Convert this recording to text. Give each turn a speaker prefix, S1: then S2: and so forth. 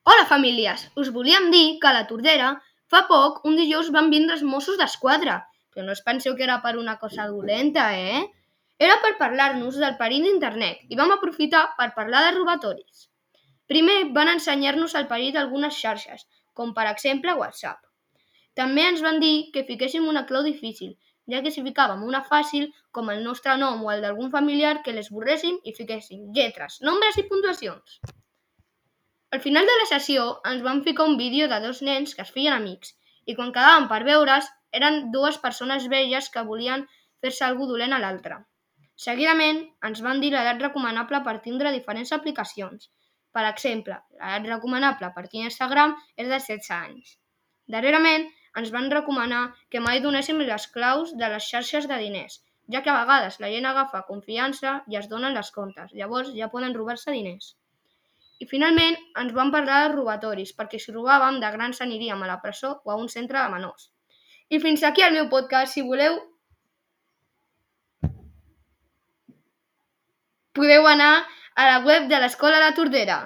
S1: Hola, famílies! Us volíem dir que a la Tordera fa poc, un dijous, van vindre els Mossos d'Esquadra. Però no us penseu que era per una cosa dolenta, Era per parlar-nos del perill d'internet i vam aprofitar per parlar de robatoris. Primer van ensenyar-nos el perill d'algunes xarxes, com per exemple WhatsApp. També ens van dir que fiquéssim una clau difícil, ja que si ficàvem una fàcil, com el nostre nom o el d'algun familiar, que l'esborréssim i fiquéssim lletres, nombres i puntuacions. Al final de la sessió ens van ficar un vídeo de dos nens que es feien amics i quan quedàvem per veure's eren dues persones velles que volien fer-se algú dolent a l'altre. Seguidament ens van dir l'edat recomanable per tindre diferents aplicacions. Per exemple, l'edat recomanable per tindre Instagram és de 16 anys. Darrerament ens van recomanar que mai donéssim les claus de les xarxes de diners, ja que a vegades la gent agafa confiança i es donen les comptes, llavors ja poden robar-se diners. I finalment ens van parlar de robatoris, perquè si robàvem de grans aniríem a la presó o a un centre de menors. I fins aquí el meu podcast. Si voleu, podeu anar a la web de l'Escola La Tordera.